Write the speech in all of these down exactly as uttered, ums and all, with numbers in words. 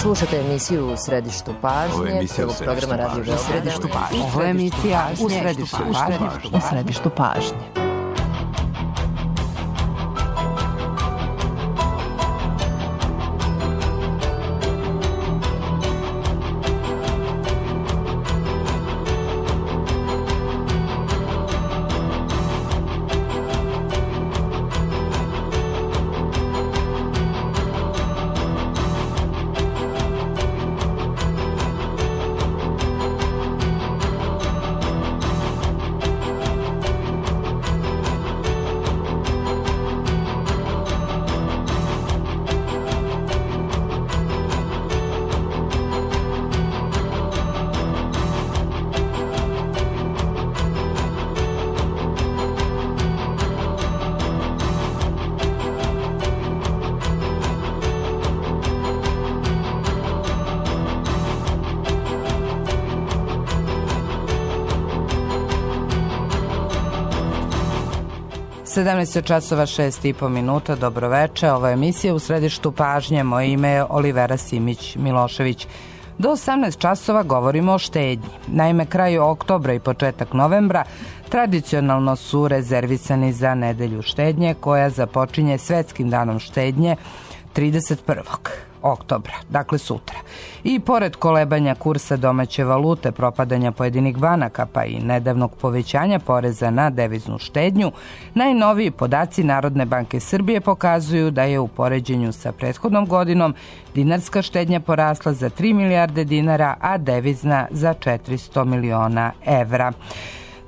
Slušate emisiju U središtu pažnje, prvog programa Radio Beograd. U središtu pažnje. Ovo je emisija U središtu pažnje. U središtu pažnje. sedamnaest časova šest i po minuta, dobroveče, ovo je emisija U središtu pažnje, moje ime je Olivera Simić-Milošević. Do osamnaest časova govorimo o štednji. Naime, kraj oktobra i početak novembra tradicionalno su rezervisani za nedelju štednje koja započinje Svetskim danom štednje trideset prvog oktobra, dakle sutra. I pored kolebanja kursa domaće valute, propadanja pojedinih banaka pa i nedavnog povećanja poreza na deviznu štednju, najnoviji podaci Narodne banke Srbije pokazuju da je u poređenju sa prethodnom godinom dinarska štednja porasla za tri milijarde dinara, a devizna za četiristo miliona evra.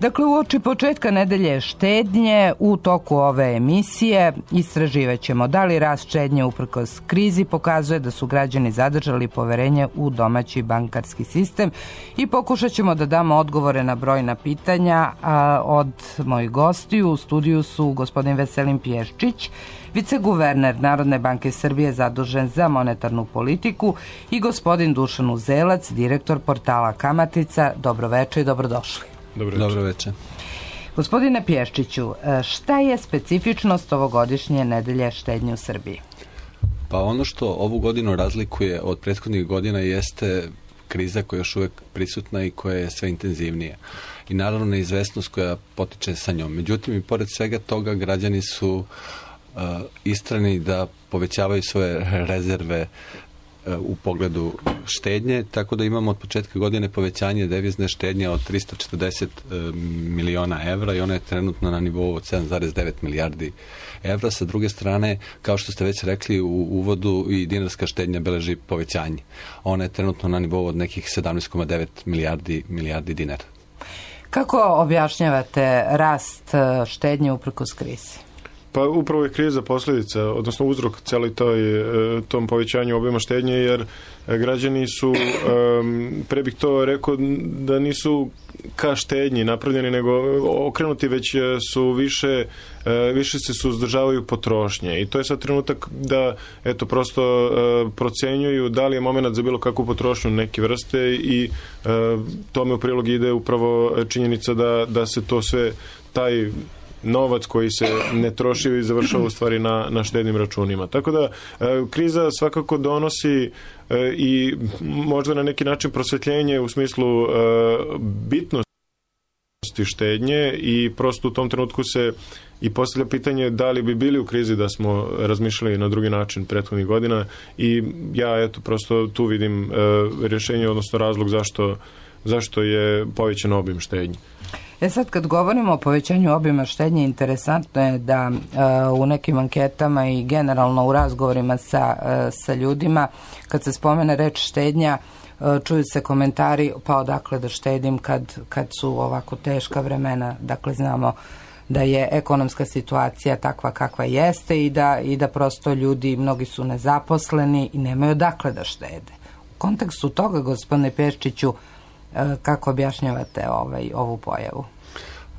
Dakle, uoči početka nedelje štednje u toku ove emisije istraživat ćemo da li rast štednje uprkos krizi pokazuje da su građani zadržali poverenje u domaći bankarski sistem i pokušat ćemo da damo odgovore na brojna pitanja a, od mojih gostiju. U studiju su gospodin Veselin Pješčić, viceguverner Narodne banke Srbije zadužen za monetarnu politiku, i gospodin Dušan Uzelac, direktor portala Kamatica. Dobroveče i dobrodošli. Dobro, Dobro večer. Gospodine Pješčiću, šta je specifičnost ovogodišnje nedelje štednje u Srbiji? Pa ono što ovu godinu razlikuje od prethodnih godina jeste kriza koja je još uvijek prisutna i koja je sve intenzivnija. I naravno neizvesnost koja potiče sa njom. Međutim, i pored svega toga građani su uh, istrani da povećavaju svoje rezerve u pogledu štednje, tako da imamo od početka godine povećanje devizne štednje od tristo četrdeset miliona evra i ona je trenutno na nivou od sedam zarez devet milijardi evra. Sa druge strane, kao što ste već rekli u uvodu, i dinarska štednja beleži povećanje. Ona je trenutno na nivou od nekih sedamnaest zarez devet milijardi, milijardi dinara. Kako objašnjavate rast štednje uprkos krizi? Pa upravo je kriza posljedica, odnosno uzrok celoj toj, tom povećanju obima štednje, jer građani su, pre bih to rekao, da nisu ka štednji napravljeni, nego okrenuti već su više, više se suzdržavaju potrošnje. I to je sad trenutak da, eto, prosto procenjuju da li je moment za bilo kakvu potrošnju neke vrste i tome u prilog ide upravo činjenica da, da se to sve, taj novac koji se ne troši i završava u stvari na, na štednim računima. Tako da e, kriza svakako donosi e, i možda na neki način prosvetljenje u smislu e, bitnosti štednje, i prosto u tom trenutku se i postavlja pitanje da li bi bili u krizi da smo razmišljali na drugi način prethodnih godina, i ja eto prosto tu vidim e, rješenje, odnosno razlog zašto, zašto je povećan obim štednje. E sad, kad govorimo o povećanju obima štednje, interesantno je da uh, u nekim anketama i generalno u razgovorima sa, uh, sa ljudima, kad se spomene reč štednja, uh, čuju se komentari, pa odakle da štedim kad, kad su ovako teška vremena. Dakle, znamo da je ekonomska situacija takva kakva jeste i da, i da prosto ljudi, mnogi su nezaposleni i nemaju odakle da štede. U kontekstu toga, gospodine Pješčiću, kako objašnjavate ovaj, ovu pojavu?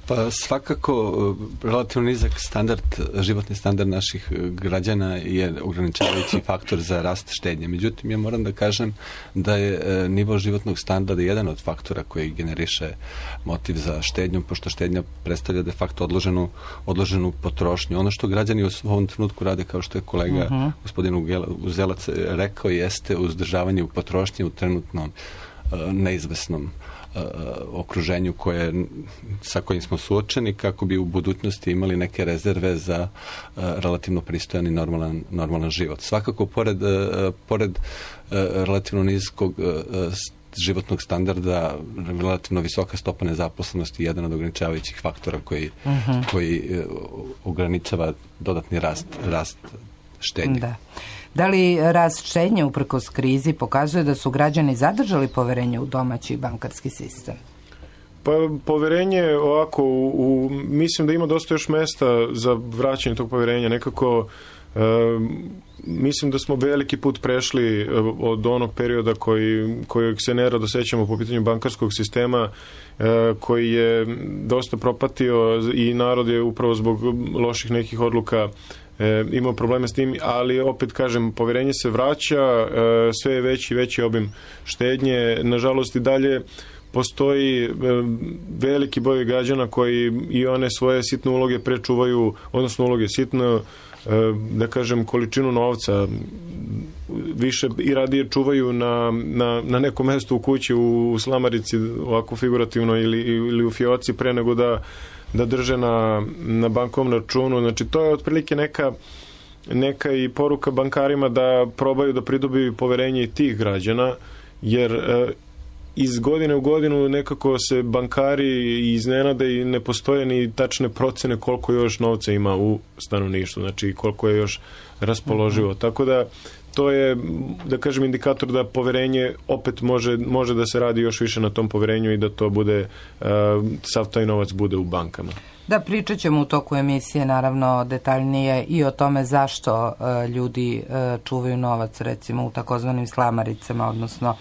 Pa svakako relativno nizak standard, životni standard naših građana je ograničavajući faktor za rast štednje. Međutim, ja moram da kažem da je nivo životnog standarda jedan od faktora koji generiše motiv za štednju, pošto štednja predstavlja de facto odloženu, odloženu potrošnju. Ono što građani u ovom trenutku rade, kao što je kolega uh-huh. gospodin Uzelac rekao, jeste uzdržavanje u potrošnji u trenutnom uh, neizvesnom okruženju koje, sa kojim smo suočeni, kako bi u budućnosti imali neke rezerve za uh, relativno pristojan i normalan, normalan život. Svakako, pored, uh, pored uh, relativno niskog uh, životnog standarda, relativno visoka stopa nezaposlenosti je jedan od ograničavajućih faktora koji, uh-huh. koji uh, ograničava dodatni rast, rast štednje. Da. Da li rast štednje uprkos krizi pokazuje da su građani zadržali poverenje u domaći bankarski sistem? Pa poverenje ovako, u, u, mislim da ima dosta još mesta za vraćanje tog poverenja. Nekako e, mislim da smo veliki put prešli od onog perioda koji, kojeg se nerado sećamo po pitanju bankarskog sistema, e, koji je dosta propatio i narod je upravo zbog loših nekih odluka E, imao probleme s tim, ali opet kažem, poverenje se vraća, e, sve je veći i veći obim štednje. Nažalost i dalje postoji e, veliki broj građana koji i one svoje sitne uloge prečuvaju, odnosno uloge sitne, e, da kažem, količinu novca više i radije čuvaju na, na, na nekom mestu u kući, u, u slamarici, ovako figurativno, ili, ili u fioci, pre nego da da drže na, na bankovnom računu. Znači, to je otprilike neka, neka i poruka bankarima da probaju da pridobiju poverenje i tih građana, jer e, iz godine u godinu nekako se bankari iznenade i ne postoje ni tačne procene koliko još novca ima u stanovništvu, znači koliko je još raspoloživo. Mm-hmm. Tako da to je, da kažem, indikator da poverenje opet može, može da se radi još više na tom poverenju i da to bude, uh, sav taj novac bude u bankama. Da, pričat ćemo u toku emisije naravno detaljnije i o tome zašto uh, ljudi uh, čuvaju novac recimo u takozvanim slamaricama, odnosno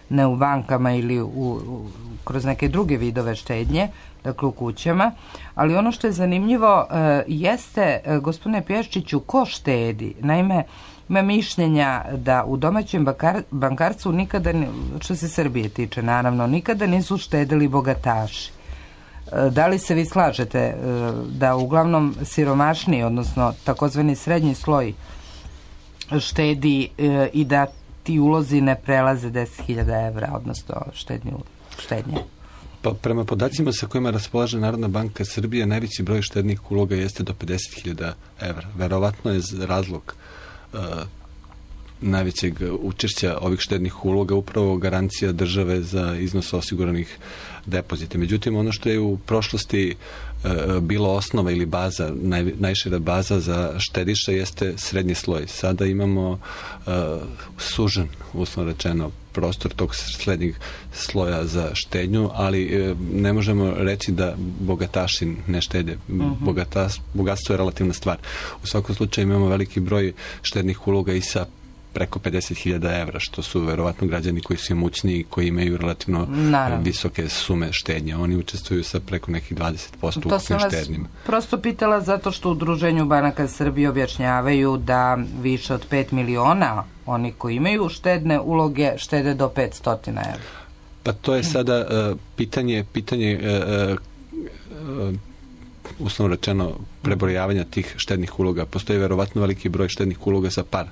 ne u bankama ili u, u, kroz neke druge vidove štednje, dakle u kućama. Ali ono što je zanimljivo uh, jeste, uh, gospodine Pješčiću, ko štedi? Naime, ima mišljenja da u domaćem bankar, bankarstvu nikada, što se Srbije tiče naravno, nikada nisu štedili bogataši. Da li se vi slažete da uglavnom siromašniji, odnosno takozvani srednji sloj štedi i da ti ulozi ne prelaze deset hiljada evra, odnosno štednje? Pa prema podacima sa kojima raspolaže Narodna banka Srbije, najveći broj štednih uloga jeste do pedeset hiljada evra. Verovatno je razlog Uh, najvećeg učešća ovih štednih uloga upravo garancija države za iznos osiguranih depozita. Međutim, ono što je u prošlosti uh, bilo osnova ili baza, naj, najšira baza za štediša jeste srednji sloj. Sada imamo uh, sužen, uslovno rečeno, prostor tog srednjeg sloja za štednju, ali e, ne možemo reći da bogataši ne štede. Uh-huh. Bogata, bogatstvo je relativna stvar. U svakom slučaju imamo veliki broj štednih uloga i sa preko pedeset hiljada evra, što su verovatno građani koji su imućniji, koji imaju relativno Naravno. visoke sume štednje. Oni učestvuju sa preko nekih dvadeset posto ukupnim štednjima. To sam vas prosto pitala zato što u Udruženju banaka Srbije objašnjavaju da više od pet miliona oni koji imaju štedne uloge štede do petsto evra. Pa to je sada uh, pitanje, pitanje uh, uh, uslovno rečeno prebrojavanja tih štednih uloga. Postoji verovatno veliki broj štednih uloga sa par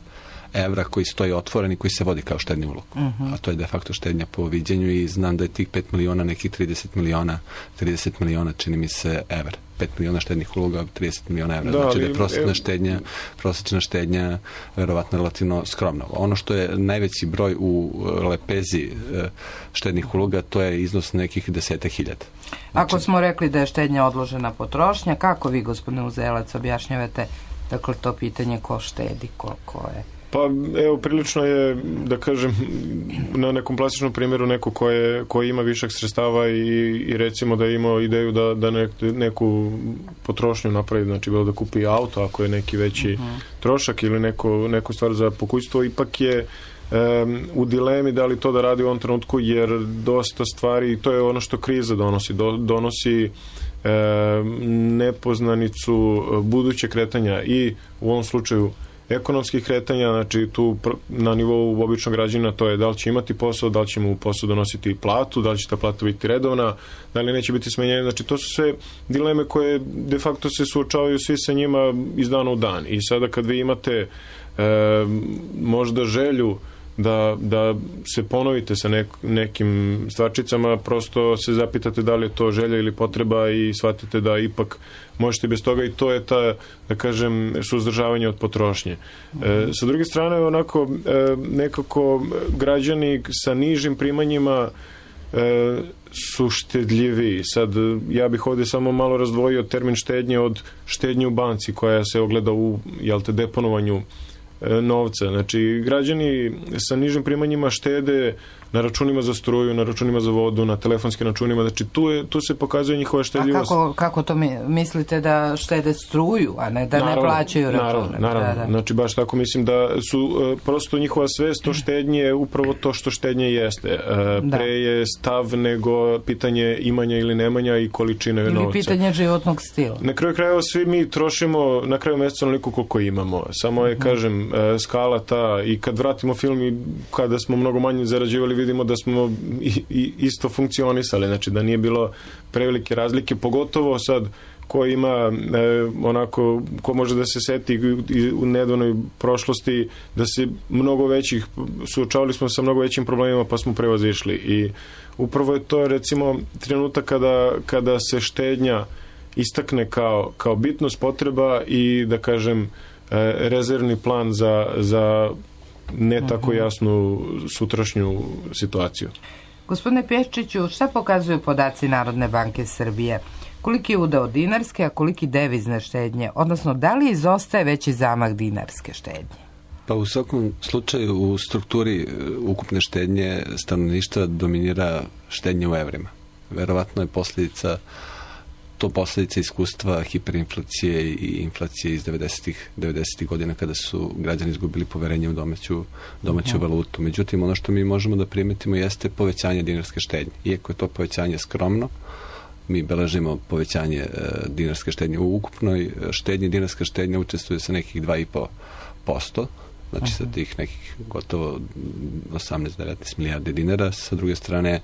evra koji stoji otvoren i koji se vodi kao štedni ulog. Uh-huh. A to je de facto štednja po viđenju i znam da je tih pet miliona, nekih trideset miliona, trideset miliona čini mi se evra. pet miliona štednih uloga, trideset miliona evra. Da, znači da je prosječna štednja, prosječna štednja verovatno relativno skromna. Ono što je najveći broj u lepezi štednih uloga, to je iznos nekih deseta hiljada. Znači, ako smo rekli da je štednja odložena potrošnja, kako vi, gospodine Uzelac, objašnjavate dakle to pitanje ko štedi, koliko je? Pa evo, prilično je, da kažem, na nekom plastičnom primjeru neko ko, je, ko ima višak sredstava i, i recimo da je imao ideju da, da nek, neku potrošnju napravi, znači bilo da kupi auto ako je neki veći uh-huh. trošak ili neko, neku stvar za pokućstvo, ipak je um, u dilemi da li to da radi u ovom trenutku, jer dosta stvari, to je ono što kriza donosi, do, donosi nepoznanicu buduće kretanja i u ovom slučaju ekonomskih kretanja, znači tu na nivou običnog građana to je da li će imati posao, da li će mu posao donositi platu, da li će ta plata biti redovna, da li neće biti smenjenje, znači to su sve dileme koje de facto se suočavaju svi sa njima iz dana u dan i sada kad vi imate e, možda želju da, da se ponovite sa nek, nekim stvarčicama, prosto se zapitate da li je to želja ili potreba i shvatite da ipak možete bez toga i to je ta, da kažem, suzdržavanje od potrošnje. E, sa druge strane, onako, e, nekako građani sa nižim primanjima e, su štedljiviji. Sad, ja bih ovdje samo malo razdvojio termin štednje od štednje u banci koja se ogleda u, jel te, deponovanju novca. Znači, građani sa nižim primanjima štede na računima za struju, na računima za vodu, na telefonskim računima. Znači, tu, je, tu se pokazuje njihova štedljivost. A kako, kako to mi, mislite da štede struju, a ne da naravno, ne plaćaju račune? Naravno, naravno. Da, da. Znači, baš tako mislim da su uh, prosto njihova svest o štednje je upravo to što štednje jeste. Uh, pre je stav nego pitanje imanja ili nemanja i količine ili novca. Ili pitanje životnog stila. Na kraju krajeva svi mi trošimo na kraju mjeseca onoliko koliko imamo. Samo je, hmm. kažem, uh, skala ta i kad vratimo film i kada smo mnogo manje zarađivali, vidimo da smo i, i isto funkcionisali, znači da nije bilo prevelike razlike, pogotovo sad ko ima e, onako, ko može da se seti u nedavnoj prošlosti da se mnogo većih, suočavali smo sa mnogo većim problemima pa smo prevazišli i upravo je to recimo trenutak kada, kada se štednja istakne kao, kao bitnost, potreba i da kažem e, rezervni plan za, za ne tako jasnu sutrašnju situaciju. Gospodine Pješčiću, šta pokazuju podaci Narodne banke Srbije? Koliki je udeo dinarske, a koliki devizne štednje? Odnosno, da li izostaje veći zamah dinarske štednje? Pa u svakom slučaju u strukturi ukupne štednje stanovništva dominira štednje u evrima. Verovatno je posljedica to posljedica iskustva hiperinflacije i inflacije iz devedesetih godina kada su građani izgubili poverenje u domaću, domaću valutu. Međutim, ono što mi možemo da primetimo jeste povećanje dinarske štednje. Iako je to povećanje skromno, mi beležimo povećanje e, dinarske štednje. U ukupnoj štednji dinarska štednja učestvuje sa nekih dva i po posto, znači sa tih nekih gotovo osamnaest do devetnaest milijardi dinara. Sa druge strane,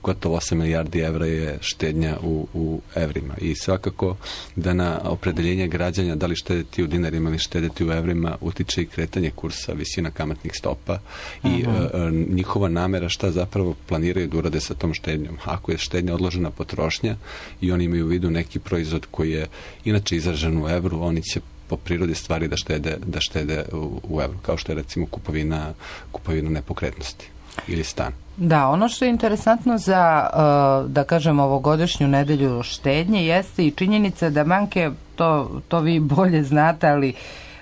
gotovo osam milijardi evra je štednja u, u evrima i svakako da na opredeljenje građanja da li štediti u dinarima ili štediti u evrima utiče i kretanje kursa, visina kamatnih stopa i uh, njihova namera šta zapravo planiraju da urade sa tom štednjom. Ako je štednja odložena potrošnja i oni imaju u vidu neki proizvod koji je inače izražen u evru, oni će po prirodi stvari da štede, da štede u, u evru, kao što je recimo kupovina, kupovina nepokretnosti ili stan. Da, ono što je interesantno za, da kažem, ovogodišnju nedelju štednje jeste i činjenica da banke, to, to vi bolje znate, ali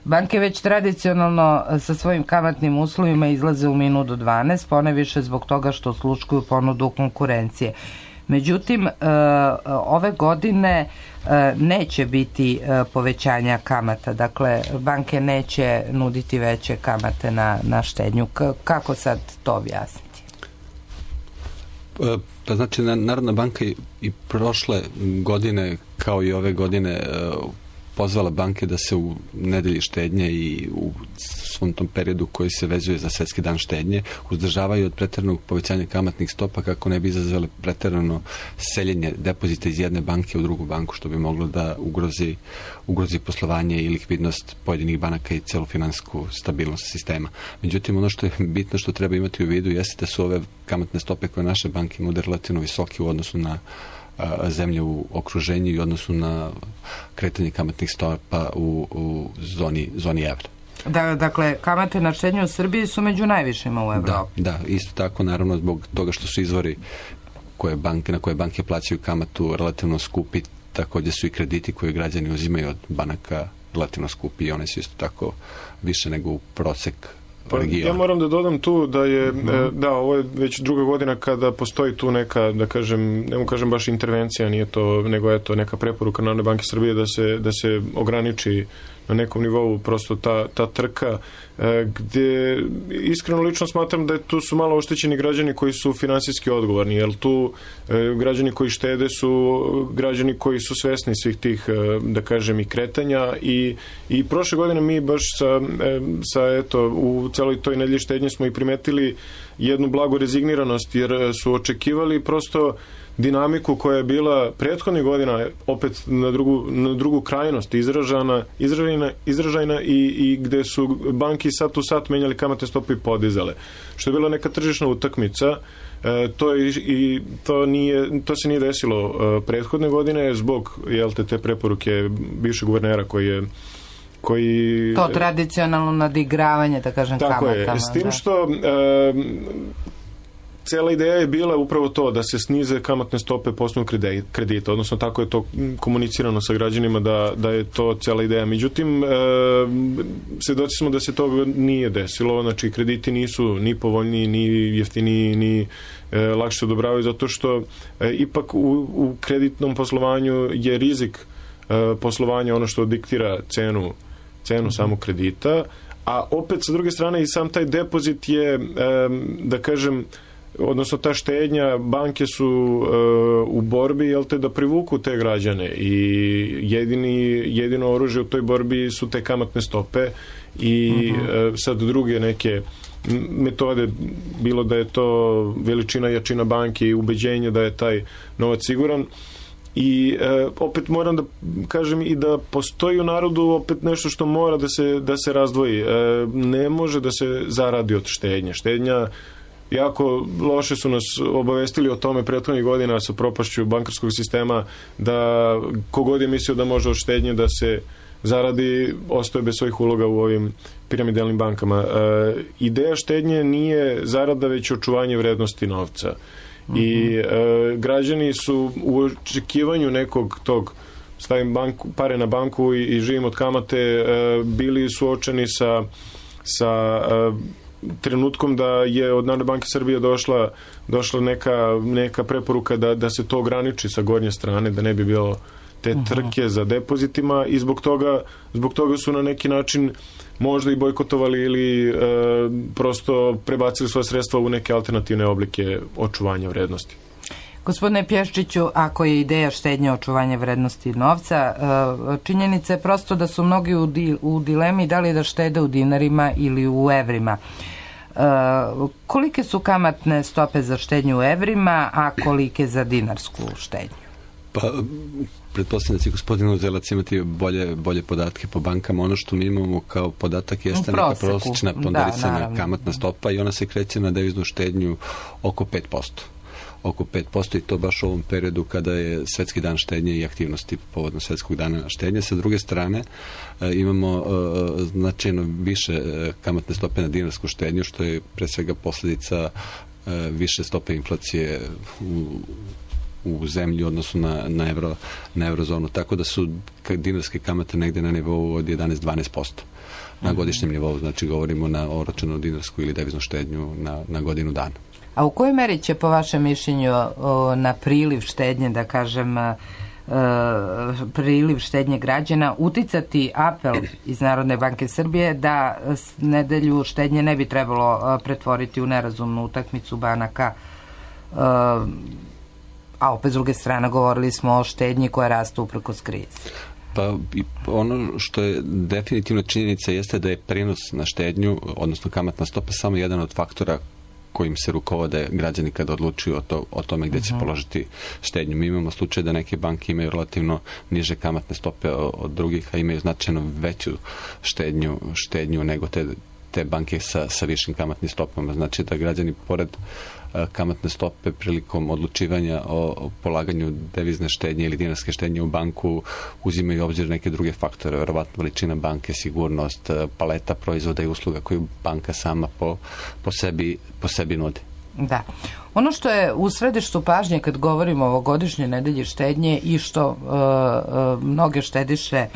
banke već tradicionalno sa svojim kamatnim uslovima izlaze u minut do dvanaest, poneviše zbog toga što sluškuju ponudu konkurencije. Međutim, ove godine neće biti povećanja kamata, dakle banke neće nuditi veće kamate na, na štednju. Kako sad to objasniti? Pa znači, Narodna banka i prošle godine, kao i ove godine, pozvala banke da se u nedelji štednje i u svom tom periodu koji se vezuje za Svetski dan štednje uzdržavaju od preteranog povećanja kamatnih stopa kako ne bi izazvali preterano seljenje depozita iz jedne banke u drugu banku, što bi moglo da ugrozi, ugrozi poslovanje i likvidnost pojedinih banaka i celu finansijsku stabilnost sistema. Međutim, ono što je bitno, što treba imati u vidu, jeste da su ove kamatne stope koje naše banke nude relativno visoke u odnosu na zemlje u okruženju i odnosu na kretanje kamatnih stopa u, u zoni, zoni evra. Da, dakle, kamate na štednju u Srbiji su među najvišima u Evropi. Da, da, isto tako, naravno, zbog toga što su izvori koje banke, na koje banke plaćaju kamatu relativno skupi, također su i krediti koje građani uzimaju od banaka relativno skupi i one su isto tako više nego u prosek Pa, ja moram da dodam tu da je, mm-hmm. da, ovo je već druga godina kada postoji tu neka, da kažem, ne mu kažem baš intervencija, nije to, nego je to neka preporuka Narodne banke Srbije da se, da se ograniči na nekom nivou prosto ta, ta trka, gdje iskreno lično smatram da tu su malo oštećeni građani koji su finansijski odgovorni, jer tu građani koji štede su građani koji su svesni svih tih, da kažem, i kretanja i, i prošle godine mi baš sa, sa eto, u celoj toj nedelji štednje smo i primetili jednu blagu rezigniranost, jer su očekivali prosto dinamiku koja je bila prethodnih godina opet na drugu, na drugu krajnost izražana, izražajna, izražajna i, i gde su banki sat u sat menjali kamatne stope i podizale. Što je bila neka tržišna utakmica, e, to, je, i, to, nije, to se nije desilo e, prethodne godine zbog jel te, te preporuke bivšeg guvernera koji je koji... To tradicionalno nadigravanje, da kažem, tako kamatama. Je, s tim što e, cela ideja je bila upravo to, da se snize kamatne stope po osnovu kredita, odnosno tako je to komunicirano sa građanima da, da je to cela ideja. Međutim, e, svedoci smo da se to nije desilo, znači krediti nisu ni povoljniji, ni jeftiniji, ni e, lakše odobravaju, zato što e, ipak u, u kreditnom poslovanju je rizik e, poslovanja ono što diktira cenu, cenu samog kredita, a opet sa druge strane i sam taj depozit je, e, da kažem, odnosno ta štednja, banke su e, u borbi, jel te, da privuku te građane i jedini, jedino oružje u toj borbi su te kamatne stope i uh-huh. e, sad druge neke metode, bilo da je to veličina, jačina banke i ubeđenje da je taj novac siguran. I e, opet moram da kažem i da postoji u narodu opet nešto što mora da se, da se razdvoji. E, ne može da se zaradi od štednje. Štednja jako loše su nas obavestili o tome prethodnih godina sa propašću bankarskog sistema, da kogod je mislio da može od štednje da se zaradi, ostaje bez svojih uloga u ovim piramidalnim bankama. E, ideja štednje nije zarada, već očuvanje vrednosti novca. Mm-hmm. I e, građani su u očekivanju nekog tog stavim banku, pare na banku i, i živim od kamate, e, bili suočeni sa, sa e, trenutkom da je od Narodne banke Srbije došla, došla neka, neka preporuka da, da se to ograniči sa gornje strane, da ne bi bilo te trke za depozitima i zbog toga, zbog toga su na neki način možda i bojkotovali ili e, prosto prebacili svoje sredstva u neke alternativne oblike očuvanja vrednosti. Gospodine Pješčiću, ako je ideja štednje očuvanja vrednosti novca, činjenica je prosto da su mnogi u, di, u dilemi da li da štede u dinarima ili u evrima. Kolike su kamatne stope za štednju u evrima, a kolike za dinarsku štednju? Pa, pretpostavljam da će gospodin Uzelac imati bolje, bolje podatke po bankama. Ono što mi imamo kao podatak jeste neka prosječna ponderisana da, kamatna stopa i ona se kreće na deviznu štednju oko pet posto. Oko pet posto i to baš u ovom periodu kada je Svetski dan štednje i aktivnosti povodno Svetskog dana štednje. Sa druge strane e, imamo e, značajno više e, kamatne stope na dinarsku štednju, što je pre svega posljedica e, više stope inflacije u u zemlji u odnosu na, na, euro, na eurozonu. Tako da su dinarske kamate negde na nivou od jedanaest do dvanaest posto na godišnjem nivou. Znači govorimo na oročenu dinarsku ili deviznu štednju na, na godinu dana. A u kojoj meri će po vašem mišljenju o, na priliv štednje, da kažem, e, priliv štednje građana uticati apel iz Narodne banke Srbije da nedelju štednje ne bi trebalo pretvoriti u nerazumnu utakmicu banaka, e, a opet s druge strane govorili smo o štednji koja raste uprkos krizi? Pa ono što je definitivno činjenica jeste da je prinos na štednju, odnosno kamatna stopa, samo jedan od faktora kojim se rukovode građani kada odlučuju o, to, o tome gdje će položiti štednju. Mi imamo slučaj da neke banke imaju relativno niže kamatne stope od drugih, a imaju značajno veću štednju, štednju nego te, te banke sa, sa višim kamatnim stopama. Znači da građani pored kamatne stope prilikom odlučivanja o, o polaganju devizne štednje ili dinarske štednje u banku uzimaju u obzir neke druge faktore, verovatno veličina banke, sigurnost, paleta proizvoda i usluga koju banka sama po, po, sebi, po sebi nudi. Da. Ono što je u središtu pažnje kad govorimo o ovogodišnjoj nedelji štednje i što uh, uh, mnoge štediše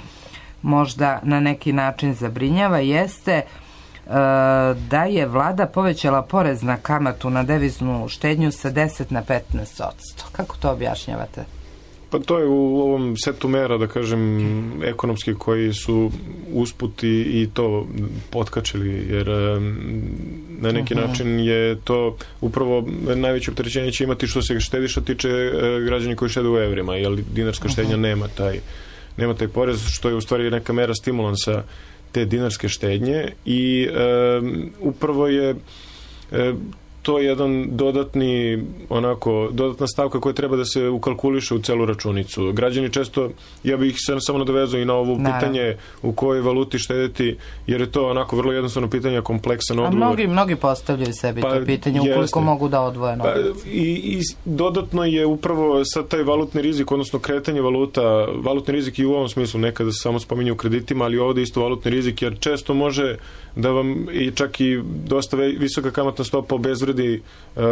možda na neki način zabrinjava jeste da je vlada povećala porez na kamatu na deviznu štednju sa deset na petnaest posto. Kako to objašnjavate? Pa to je u ovom setu mera, da kažem, ekonomski koji su usput i, i to potkačili, jer na neki uh-huh. način je to upravo najveće opterećenje će imati što se štediša tiče građani koji štede u evrima, jer dinarska štednja uh-huh. nema taj, nema taj porez, što je u stvari neka mera stimulansa te dinarske štednje i um, upravo je um, to je jedan dodatni, onako, dodatna stavka koja treba da se ukalkuliše u celu računicu. Građani često, ja bih se samo nadovezao i na ovo Naravno. pitanje u kojoj valuti štedeti, jer je to onako vrlo jednostavno pitanje, kompleksan odgovor. A mnogi, mnogi postavljaju sebi pa, to pitanje, ukoliko jeste. mogu da odvoje novac. Pa, i, I dodatno je upravo sad taj valutni rizik, odnosno kretanje valuta, valutni rizik i u ovom smislu, nekada se samo spominje u kreditima, ali ovdje isto valutni rizik, jer često može da vam i čak i dosta visoka kamatna stopa obezvredi,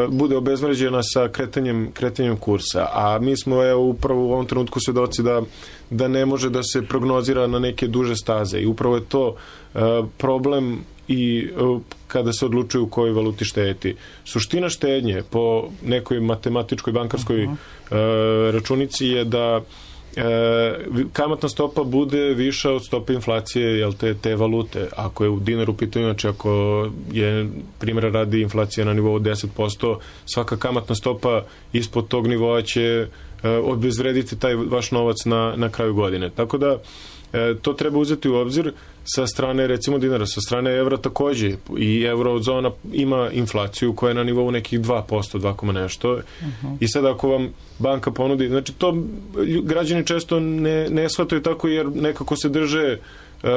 bude obezvređena sa kretanjem, kretanjem kursa. A mi smo evo, upravo u ovom trenutku svedoci da, da ne može da se prognozira na neke duže staze. I upravo je to uh, problem i uh, kada se odlučuju u kojoj valuti štediti. Suština štednje po nekoj matematičkoj bankarskoj uh, računici je da E, kamatna stopa bude viša od stope inflacije, jel, te, te valute. Ako je u dinaru pitanju, znači ako je primjera radi inflacija na nivou deset posto, svaka kamatna stopa ispod tog nivoa će e, obezvrediti taj vaš novac na, na kraju godine. Tako da e, to treba uzeti u obzir sa strane recimo dinara, sa strane evra takođe, i eurozona ima inflaciju koja je na nivou nekih dva posto, dva koma nešto. Uh-huh. I sad ako vam banka ponudi, znači to građani često ne, ne shvataju tako, jer nekako se drže uh,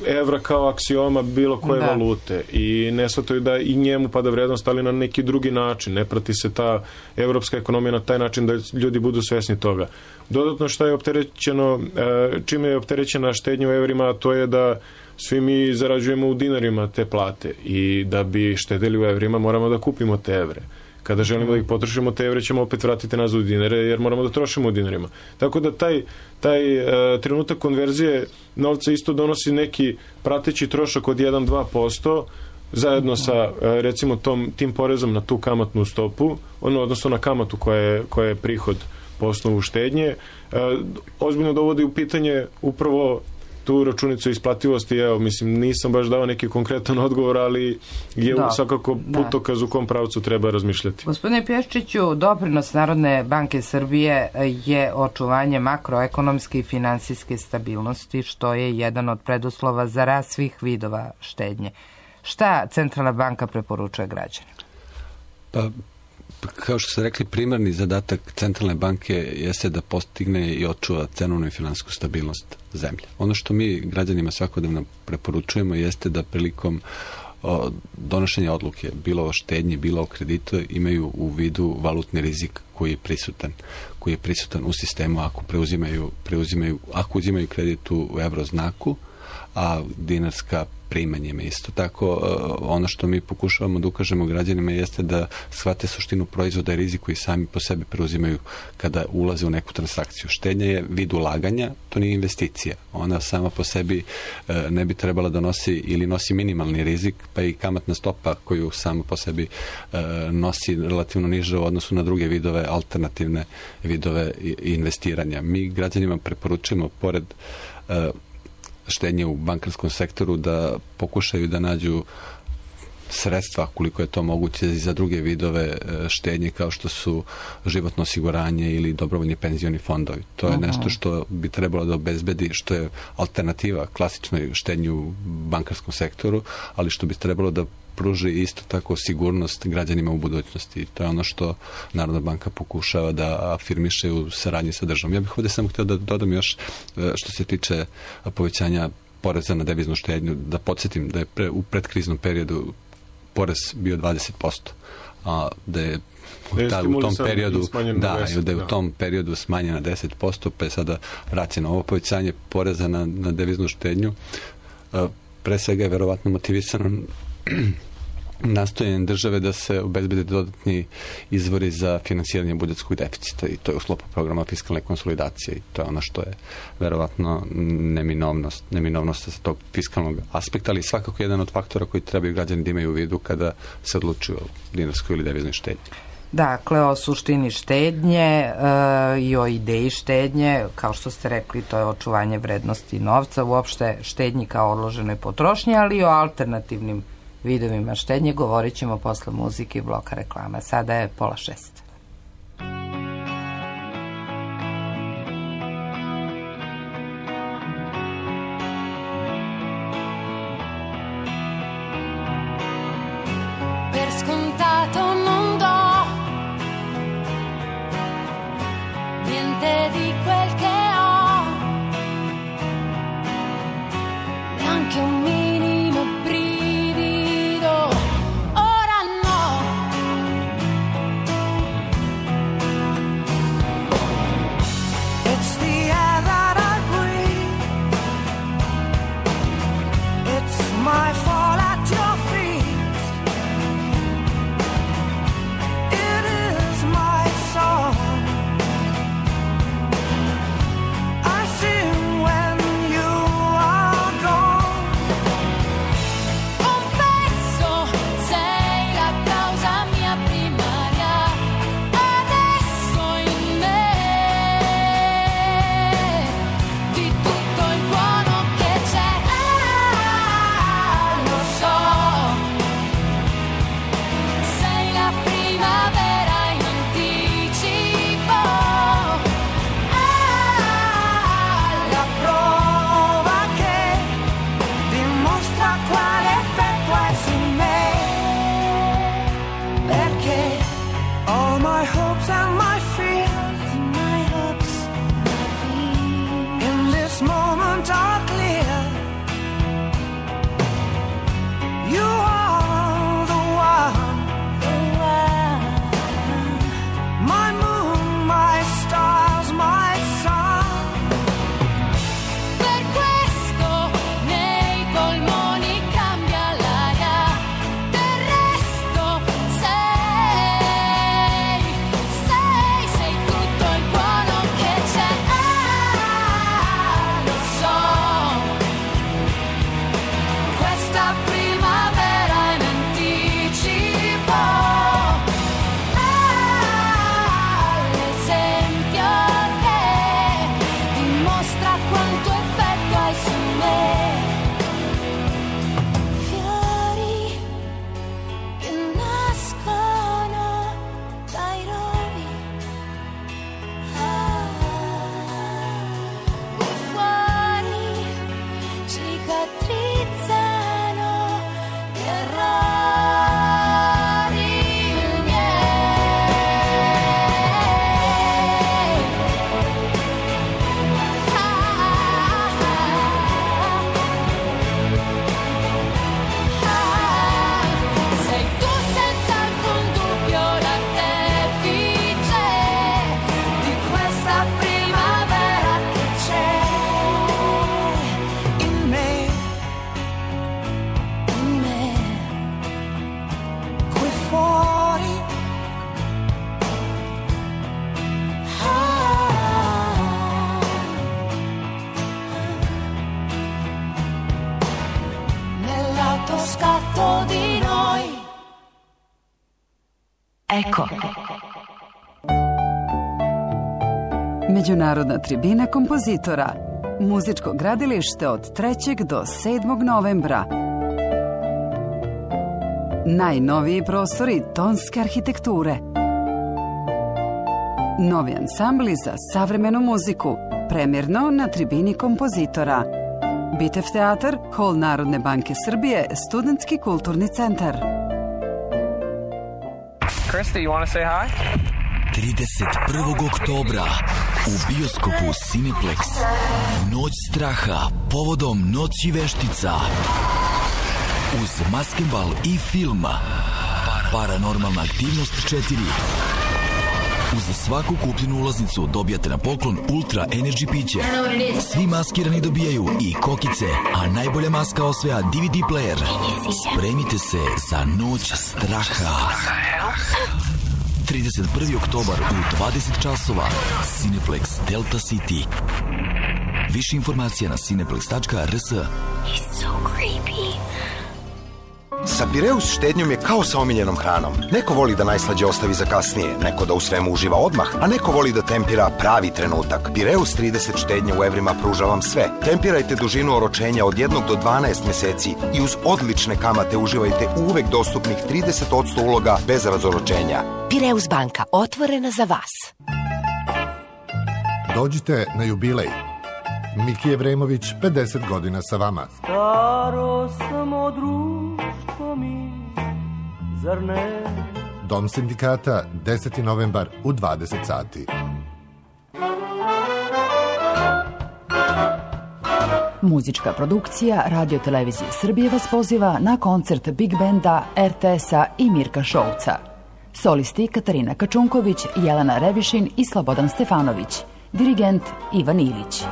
evra kao aksioma bilo koje da. valute i ne shvataju da i njemu pada vrednost, ali na neki drugi način. Ne prati se ta evropska ekonomija na taj način da ljudi budu svesni toga. Dodatno što je opterećeno, čime je opterećena štednja u evrima, to je da svi mi zarađujemo u dinarima te plate i da bi štedili u evrima moramo da kupimo te evre. Kada želimo da ih potrošimo, te evre ćemo opet vratiti nazad u dinare, jer moramo da trošimo u dinarima. Tako da taj, taj uh, trenutak konverzije novca isto donosi neki prateći trošak od jedan do dva posto zajedno sa uh, recimo tom, tim porezom na tu kamatnu stopu, ono, odnosno na kamatu koja je, koja je prihod po osnovu štednje, uh, ozbiljno dovodi u pitanje upravo tu računicu isplativosti. Evo, mislim, nisam baš dao neki konkretan odgovor, ali je da, svakako putokaz u kom pravcu treba razmišljati. Gospodine Pješčiću, doprinos Narodne banke Srbije je očuvanje makroekonomske i finansijske stabilnosti, što je jedan od preduslova za rast svih vidova štednje. Šta Centralna banka preporučuje građanima? Pa, kao što ste rekli, primarni zadatak Centralne banke jeste da postigne i očuva cenovnu i finansijsku stabilnost zemlje. Ono što mi građanima svakodnevno preporučujemo jeste da prilikom o, donošenja odluke, bilo o štednji, bilo o kreditu, imaju u vidu valutni rizik koji je prisutan, koji je prisutan u sistemu ako preuzimaju, preuzimaju, ako uzimaju kredit u evroznaku, a dinarska primanjima. Isto tako, ono što mi pokušavamo da ukažemo građanima jeste da shvate suštinu proizvoda i rizik koji sami po sebi preuzimaju kada ulaze u neku transakciju. Štednja je vid ulaganja, to nije investicija. Ona sama po sebi ne bi trebala da nosi ili nosi minimalni rizik, pa i kamatna stopa koju sama po sebi nosi relativno niže u odnosu na druge vidove, alternativne vidove investiranja. Mi građanima preporučujemo, pored štednje u bankarskom sektoru, da pokušaju da nađu sredstva, koliko je to moguće, za druge vidove štednje kao što su životno osiguranje ili dobrovoljni penzioni fondovi. To je nešto što bi trebalo da obezbedi, što je alternativa klasičnoj štednji u bankarskom sektoru, ali što bi trebalo da pruži isto tako sigurnost građanima u budućnosti. To je ono što Narodna banka pokušava da afirmiše u saradnji sa državom. Ja bih ovdje samo htio da dodam još što se tiče povećanja poreza na deviznu štednju, da podsjetim da je pre, u predkriznom periodu porez bio dvadeset posto, a da je Da, u tom periodu da, deset, da je u tom periodu smanjen na deset posto, pa je sada vraćeno ovo povećanje poreza na, na deviznu štednju. Pre svega je verovatno motivisano nastojanjem države da se obezbede dodatni izvori za finansiranje budžetskog deficita i to je u sklopu programa fiskalne konsolidacije i to je ono što je verovatno neminovnost, neminovnost sa tog fiskalnog aspekta, ali svakako jedan od faktora koji trebaju građani da imaju u vidu kada se odlučuju o dinarskoj ili deviznoj štednji. Dakle, o suštini štednje e, i o ideji štednje, kao što ste rekli, to je očuvanje vrednosti novca, uopšte štednji kao odloženoj potrošnji, ali i o alternativnim vidovima štednje govorit ćemo posle muzike i bloka reklama. Sada je pola šest. Per scontato non do niente di quel che ho, neanche un minimo brivido, ora no. It's the air that I breathe, it's my fall at your feet, it is my song. I sing when you are gone. Confesso, sei la causa mia primaria, adesso in me, di tutto il buono che c'è, ah, lo so, sei la primavera in anticipo, ah, la prova che dimostra quale effetto hai su me, perché all my hopes and my fears, my hopes, my fears, in this moment are clear. You are the one, the one, my moon, my stars, my sun. Per questo nei polmoni cambia l'aria, del resto sei, sei, sei tutto il buono che c'è, ah, lo so, questa primavera in anticipo, ah, l'esempio che dimostra quanto effetto hai su me. Fiori che nascono dai rovi, ah, qui fuori cicatrizzano gli errori miei. Ah, ah, sei tu senza alcun dubbio l'artefice di questa primavera che c'è in me, in me, qui fuori, ah, nell'autoscatto di noi. Eko. Međunarodna tribina kompozitora. Muzičko gradilište od trećeg do sedmog novembra. Najnoviji prostori tonske arhitekture. Novi ansambli za savremenu muziku. Premjerno na tribini kompozitora. Bitev teatar, Hol Narodne banke Srbije, Studentski kulturni centar. Krista, you want to say hi? trideset prvog oktobra u bioskopu Cineplex Noć straha povodom Noći veštica uz maskembal i film Paranormalna aktivnost četiri Uz svaku kupljenu ulaznicu dobijate na poklon Ultra Energy piće. Svi maskirani dobijaju i kokice, a najbolja maska osvaja D V D player. Spremite se za noć straha. trideset prvi oktobar u dvadeset časova. Cineplex Delta City. Više informacija na cineplex tačka r s. He's so creepy. Sa Pireus štednjom je kao sa omiljenom hranom. Neko voli da najslađe ostavi za kasnije, neko da u svemu uživa odmah, a neko voli da tempira pravi trenutak. Pireus trideset štednje u evrima pruža vam sve. Tempirajte dužinu oročenja od jednog do dvanaest meseci i uz odlične kamate uživajte u uvek dostupnih trideset posto uloga bez razoročenja. Pireus banka, otvorena za vas. Dođite na jubilej. Miki Evremović, pedeset godina sa vama. Staro samo društvo mi, zar ne? Dom sindikata, deseti novembar u dvadeset sati. Muzička produkcija Radio Televizije Srbije vas poziva na koncert Big Benda, R T S-a i Mirka Šolca. Solisti Katarina Kačunković, Jelena Revišin i Slobodan Stefanović. Dirigent Ivan Ilić.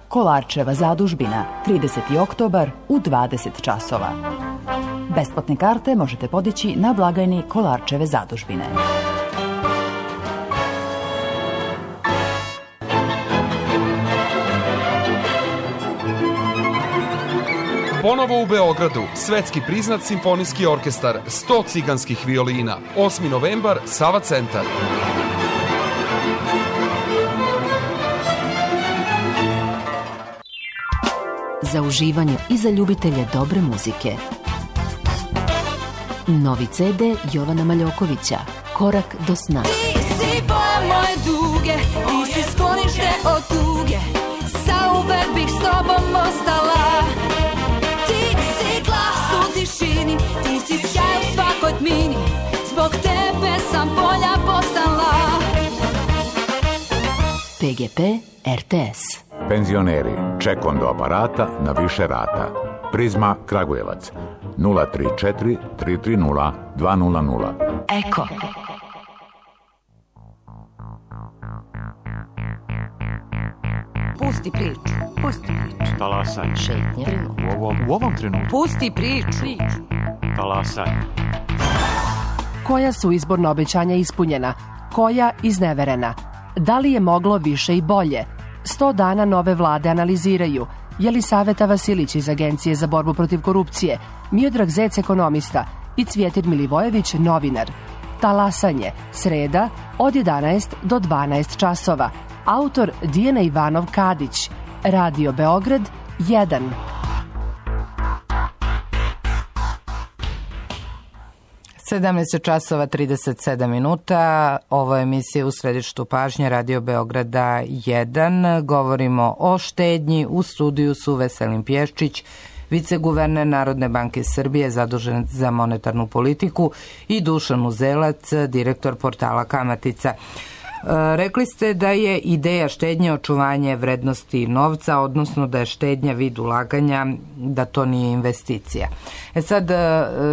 Kolarčeva zadužbina, trideseti oktobar u dvadeset časova. Besplatne karte možete podići na blagajni Kolarčeve zadužbine. Ponovo u Beogradu, svetski priznat simfonijski orkestar, sto ciganskih violina, osmi novembar, Sava centar. Za uživanje i za ljubitelje dobre muzike. Novi C D Jovana Maljokovića, Korak do sna. Ti si boja moje duge, ti si sklonište od tuge, zauvek bih s tobom ostala. Ti si glas u tišini, ti si sjaj u svakoj tmini, zbog tebe sam bolja postala. P G P R T S. Penzioneri, ček on do aparata na više rata. Prizma Kragujevac, nula tri četiri tri tri nula dva nula nula. Eko. Pusti priču, pusti priču. Talasaj. Šetnje. U ovom, u ovom trenutku. Pusti priču. Talasaj. Koja su izborna obećanja ispunjena? Koja izneverena? Da li je moglo više i bolje? Sto dana nove vlade analiziraju. Jelisaveta Vasilić iz Agencije za borbu protiv korupcije, Miodrag Zec, ekonomista, i Cvjetin Milivojević, novinar. Talasanje, sreda, od jedanaest do dvanaest časova. Autor Dijana Ivanov Kadić. Radio Beograd, jedan. sedamnaest časova trideset sedam minuta. Ovo je emisija U središtu pažnje Radio Beograda jedan. Govorimo o štednji. U studiju su Veselin Pješčić, viceguverner Narodne banke Srbije zadužen za monetarnu politiku, i Dušan Uzelac, direktor portala Kamatica. Rekli ste da je ideja štednje očuvanje vrednosti novca, odnosno da je štednja vid ulaganja, da to nije investicija. E sad,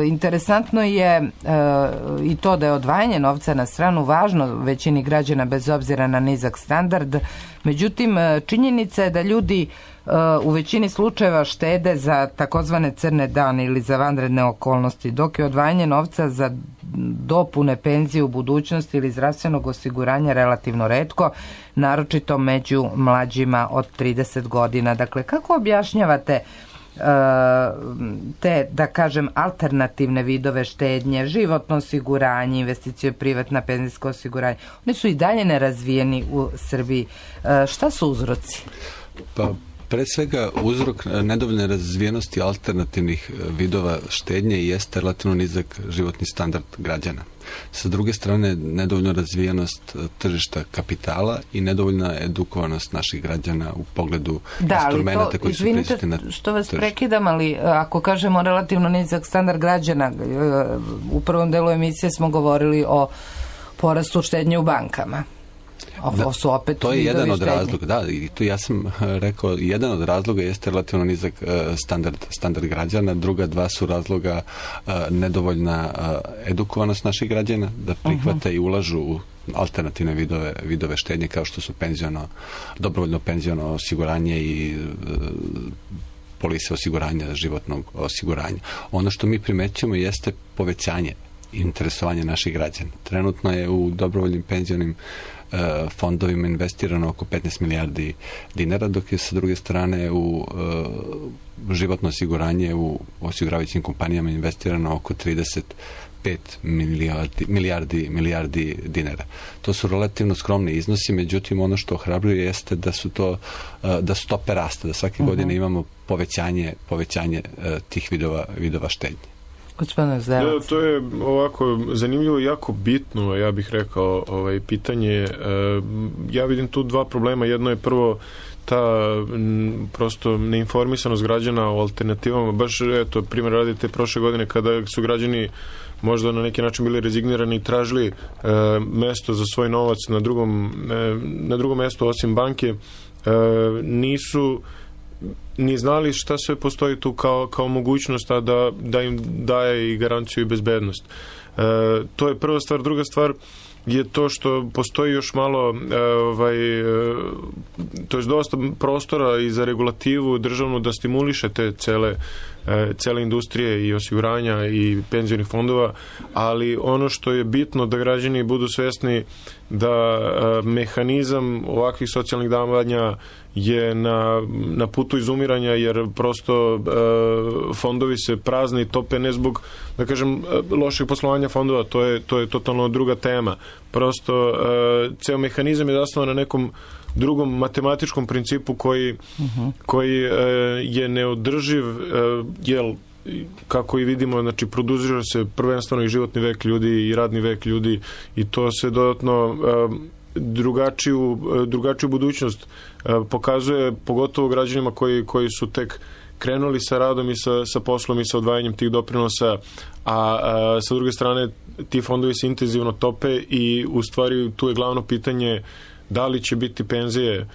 interesantno je i to da je odvajanje novca na stranu važno većini građana bez obzira na nizak standard. Međutim, činjenica je da ljudi u većini slučajeva štede za takozvane crne dane ili za vanredne okolnosti, dok je odvajanje novca za dopune penzije u budućnosti ili zdravstvenog osiguranja relativno retko, naročito među mlađima od trideset godina. Dakle, kako objašnjavate te, da kažem, alternativne vidove štednje, životno osiguranje, investicije, privatna penzijsko osiguranje? Oni su i dalje nerazvijeni u Srbiji. Šta su uzroci? Pa, pre svega, uzrok nedovoljne razvijenosti alternativnih vidova štednje jeste relativno nizak životni standard građana. Sa druge strane, nedovoljna razvijenost tržišta kapitala i nedovoljna edukovanost naših građana u pogledu da, instrumenta koji su prisutni na tržištu. Što vas prekidam, ali ako kažemo relativno nizak standard građana, u prvom delu emisije smo govorili o porastu štednje u bankama. Da, su opet to je jedan od štednje. razloga, da, i tu ja sam rekao, jedan od razloga jeste relativno nizak uh, standard, standard građana, druga dva su razloga uh, nedovoljna uh, edukovanost naših građana, da prihvate uh-huh. i ulažu u alternativne vidove, vidove štednje kao što su penziono, dobrovoljno penziono osiguranje i uh, polise osiguranja, životnog osiguranja. Ono što mi primećujemo jeste povećanje interesovanja naših građana. Trenutno je u dobrovoljnim penzionim fondovima investirano oko petnaest milijardi dinara, dok je sa druge strane u uh, životno osiguranje u osiguravajućim kompanijama investirano oko trideset pet milijardi, milijardi, milijardi dinara. To su relativno skromni iznosi, međutim ono što ohrabruje jeste da su to uh, da stope rasta, da svake uh-huh. godine imamo povećanje, povećanje uh, tih vidova, vidova štednje. Da, to je ovako zanimljivo i jako bitno, ja bih rekao, ovaj, pitanje. Ja vidim tu dva problema. Jedno je prvo ta m, prosto neinformisanost građana o alternativama. Baš, eto, primjer radite prošle godine kada su građani možda na neki način bili rezignirani i tražili e, mesto za svoj novac na drugom, e, na drugom mestu osim banke, e, nisu ni znali šta sve postoji tu kao, kao mogućnost, a da, da im daje i garanciju i bezbednost. E, to je prva stvar. Druga stvar je to što postoji još malo ovaj, to je dosta prostora i za regulativu državnu da stimuliše te cele, cele industrije i osiguranja i penzionih fondova, ali ono što je bitno da građani budu svesni da mehanizam ovakvih socijalnih davanja je na, na putu izumiranja, jer prosto e, fondovi se prazne i tope ne zbog, da kažem, lošeg poslovanja fondova, to je, to je totalno druga tema. Prosto e, ceo mehanizam je zasnovan na nekom drugom matematičkom principu koji, uh-huh. koji e, je neodrživ, e, jel, kako i vidimo, znači produžira se prvenstveno i životni vek ljudi i radni vek ljudi i to se dodatno e, drugačiju, drugačiju budućnost pokazuje, pogotovo građanima koji, koji su tek krenuli sa radom i sa, sa poslom i sa odvajanjem tih doprinosa, a, a sa druge strane ti fondovi se intenzivno tope i u stvari tu je glavno pitanje da li će biti penzije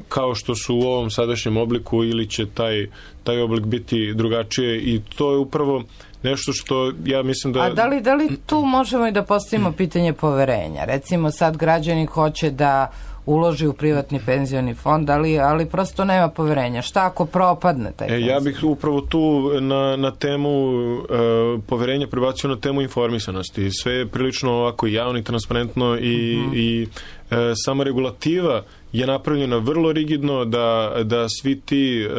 kao što su u ovom sadašnjem obliku ili će taj, taj oblik biti drugačije i to je upravo nešto što ja mislim da... A da li, da li tu možemo i da postavimo pitanje poverenja? Recimo sad građani hoće da uloži u privatni penzioni fond, ali, ali prosto nema poverenja. Šta ako propadne taj fond? E, ja bih upravo tu na, na temu e, poverenja prebacio na temu informisanosti. Sve je prilično ovako javno i transparentno i, uh-huh. i e, sama regulativa je napravljena vrlo rigidno da, da svi ti e,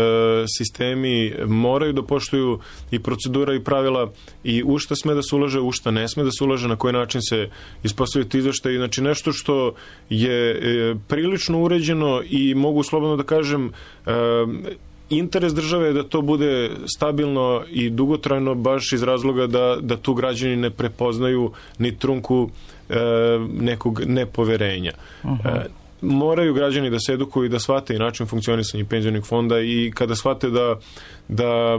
sistemi moraju da poštuju i procedura i pravila i u šta sme da se ulaže, u šta ne sme da se ulaže, na koji način se ispostavljaju ti izveštaji. Znači nešto što je e, prilično uređeno i mogu slobodno da kažem e, interes države je da to bude stabilno i dugotrajno baš iz razloga da, da tu građani ne prepoznaju ni trunku e, nekog nepoverenja. Uh-huh. E, moraju građani da se edukuju i da shvate i način funkcionisanja penzionih fonda i kada shvate da, da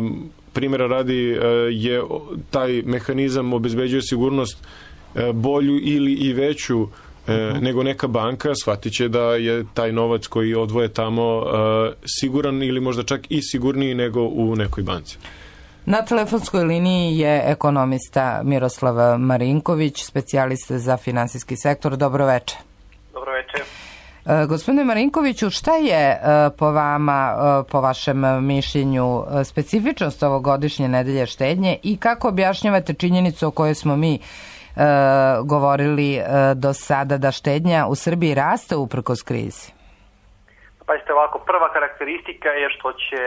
primjera radi je taj mehanizam obezbeđuje sigurnost bolju ili i veću uh-huh. nego neka banka, shvatit će da je taj novac koji odvoje tamo siguran ili možda čak i sigurniji nego u nekoj banci. Na telefonskoj liniji je ekonomista Miroslav Marinković, specijalista za finansijski sektor. Dobro veče. Dobro veče. E, gospodine Marinkoviću, šta je e, po vama, e, po vašem mišljenju, e, specifičnost ovogodišnje nedelje štednje i kako objašnjavate činjenicu o kojoj smo mi e, govorili e, do sada, da štednja u Srbiji raste uprkos krizi? Pazite ovako, prva karakteristika je što će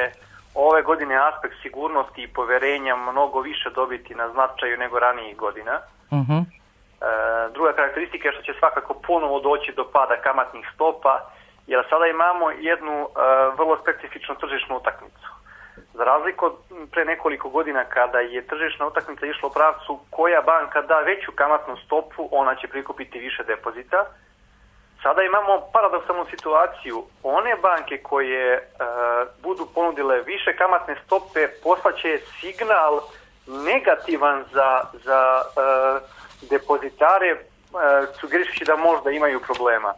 ove godine aspekt sigurnosti i poverenja mnogo više dobiti na značaju nego ranijih godina. Uh-huh. Druga karakteristika je što će svakako ponovo doći do pada kamatnih stopa, jer sada imamo jednu uh, vrlo specifičnu tržišnu utakmicu. Za razliku od pre nekoliko godina kada je tržišna utakmica išla u pravcu koja banka da veću kamatnu stopu, ona će prikupiti više depozita. Sada imamo paradoksalnu situaciju. One banke koje uh, budu ponudile više kamatne stope poslaće signal negativan za, za uh, depozitare, uh, sugerišući da možda imaju problema.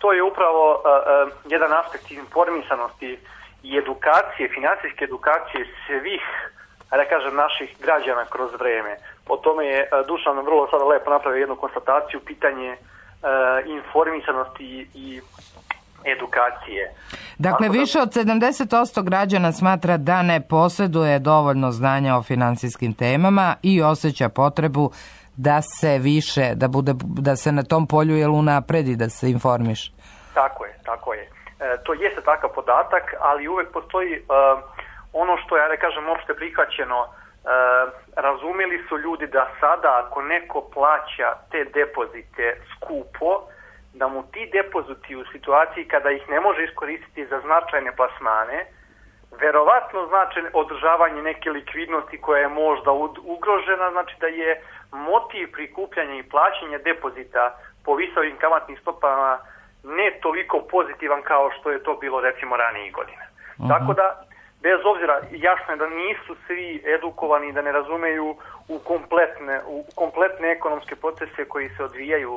to je upravo uh, uh, jedan aspekt informisanosti i edukacije, finansijske edukacije svih, da kažem, naših građana kroz vreme. Po tome je uh, Dušan vrlo sada lepo napravio jednu konstataciju, pitanje uh, informisanosti i edukacije. Dakle, da... više od sedamdeset posto građana smatra da ne posjeduje dovoljno znanja o finansijskim temama i osjeća potrebu da se više, da bude, da se na tom polju jel unapredi, da se informiš. Tako je, tako je. E, to jeste takav podatak, ali uvek postoji e, ono što je, da kažem, opšte prihvaćeno. E, razumeli su ljudi da sada ako neko plaća te depozite skupo, da mu ti depoziti u situaciji kada ih ne može iskoristiti za značajne plasmane, verovatno znači održavanje neke likvidnosti koja je možda ugrožena, znači da je motiv prikupljanja i plaćanja depozita po visokim kamatnim stopama ne toliko pozitivan kao što je to bilo recimo ranijih godina. Uh-huh. Tako da, bez obzira, jasno je da nisu svi edukovani, da ne razumeju u kompletne, u kompletne ekonomske procese koji se odvijaju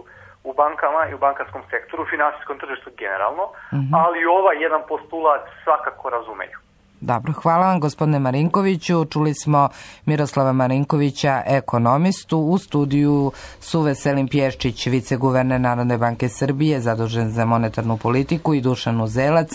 u bankama i u bankarskom sektoru, u finansijskom tržištu generalno, uh-huh. ali ovaj jedan postulat svakako razumeju. Dobro, hvala vam gospodine Marinkoviću. Čuli smo Miroslava Marinkovića, ekonomistu, u studiju su Veselin Pješčić, viceguverner Narodne banke Srbije, zadužen za monetarnu politiku, i Dušan Uzelac,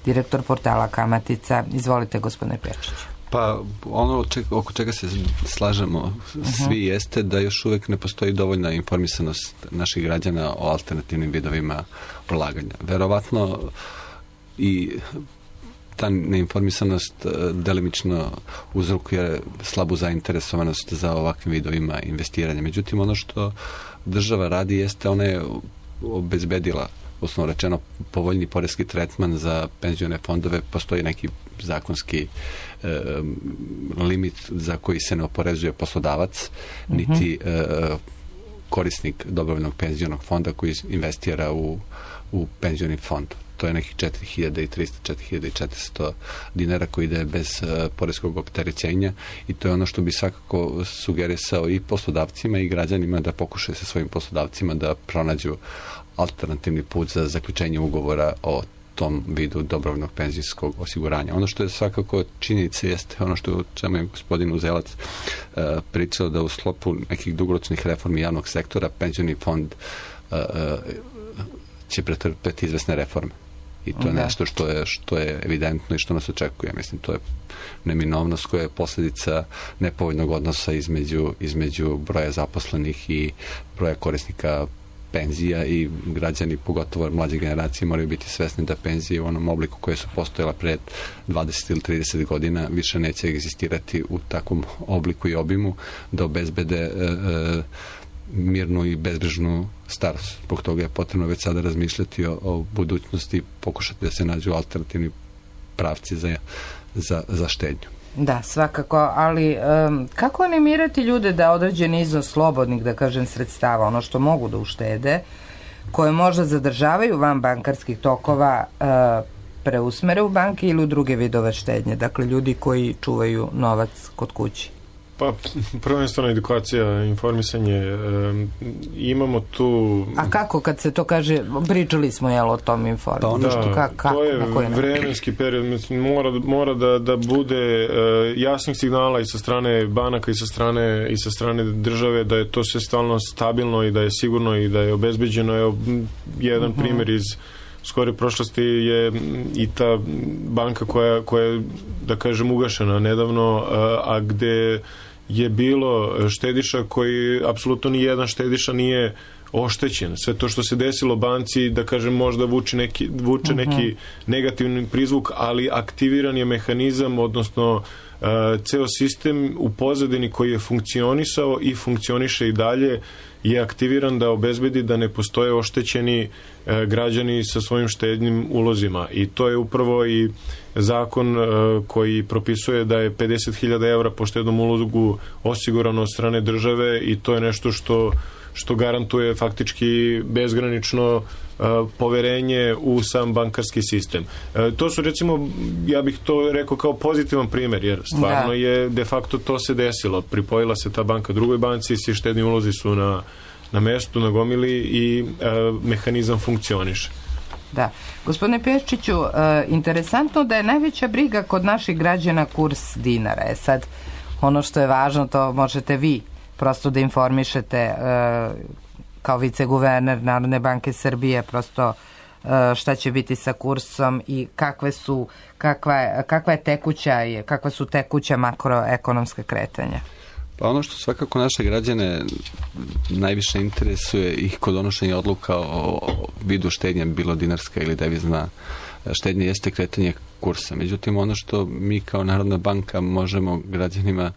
direktor portala Kamatica. Izvolite gospodine Pješčić. Pa ono oko čega se slažemo svi uh-huh. jeste da još uvijek ne postoji dovoljna informisanost naših građana o alternativnim vidovima ulaganja. Verovatno i ta neinformisanost delimično uzrokuje slabu zainteresovanost za ovakvim vidovima investiranja. Međutim, ono što država radi jeste, ona je obezbedila, osnovno rečeno, povoljni poreski tretman za penzione fondove. Postoji neki zakonski e, limit za koji se ne oporezuje poslodavac, uh-huh. niti e, korisnik dobrovoljnog penzionog fonda koji investira u, u penzioni fond. To je nekih četiri hiljade trista do četiri hiljade četiristo dinara koji ide bez uh, poreskog opterećenja, i to je ono što bi svakako sugerisao i poslodavcima i građanima da pokušaju sa svojim poslodavcima da pronađu alternativni put za zaključenje ugovora o tom vidu dobrovoljnog penzijskog osiguranja. Ono što je svakako činjenica jeste ono što čemu je gospodin Uzelac uh, pričao, da u sklopu nekih dugoročnih reformi javnog sektora penzioni fond uh, uh, će pretrpeti izvesne reforme. I to je da. nešto što je, što je evidentno i što nas očekuje. Mislim, to je neminovnost koja je posljedica nepovoljnog odnosa između, između broja zaposlenih i broja korisnika penzija, i građani, pogotovo mlađe generacije, moraju biti svesni da penzije u onom obliku koje su postojala pred dvadeset ili trideset godina više neće egzistirati u takvom obliku i obimu da obezbede e, e, mirnu i bezbrižnu starost. Zbog toga je potrebno već sada razmišljati o, o budućnosti i pokušati da se nađu alternativni pravci za, za, za štednju. Da, svakako, ali um, kako animirati ljude da određeni iznos slobodnih, da kažem, sredstava, ono što mogu da uštede, koje možda zadržavaju van bankarskih tokova, uh, preusmere u banke ili u druge vidove štednje? Dakle, ljudi koji čuvaju novac kod kući. Pa, prvenstveno edukacija, informisanje, e, imamo tu... A kako kad se to kaže, pričali smo jel o tom informisanju? Da, što, ka, kako, to je vremenski period, mislim, mora, mora da, da bude e, jasnih signala i sa strane banaka i sa strane, i sa strane države da je to sve stalno stabilno i da je sigurno i da je obezbeđeno. Evo, jedan uh-huh. primjer iz skore prošlosti je i ta banka koja, koja je, da kažem, ugašena nedavno, a, a gde je bilo štediša koji apsolutno ni jedan štediša nije oštećen. Sve to što se desilo banci, da kažem, možda vuče neki, vuče uh-huh. neki negativni prizvuk, ali aktiviran je mehanizam, odnosno uh, ceo sistem u pozadini koji je funkcionisao i funkcioniše i dalje, je aktiviran da obezbedi da ne postoje oštećeni e, građani sa svojim štednim ulozima. I to je upravo i zakon e, koji propisuje da je pedeset hiljada evra po štednom ulogu osigurano od strane države, i to je nešto što, što garantuje faktički bezgranično e, poverenje u sam bankarski sistem. E, to su, recimo, ja bih to rekao kao pozitivan primjer, jer stvarno da. je de facto to se desilo. Pripojila se ta banka drugoj banci, svi štedni ulozi su na, na mestu, na gomili, i e, mehanizam funkcioniše. Da. Gospodine Peščiću, e, interesantno da je najveća briga kod naših građana kurs dinara. E sad, ono što je važno, to možete vi prosto da informišete e, kao viceguverner Narodne banke Srbije, prosto e, šta će biti sa kursom i kakve su, kakva je, kakva je tekuća, kakva su tekuća makroekonomska kretanja. Pa ono što svakako naše građane najviše interesuje ih kod donošenja odluka o vidu štednje, bilo dinarska ili devizna štednja, jeste kretanje kursa. Međutim, ono što mi kao Narodna banka možemo građanima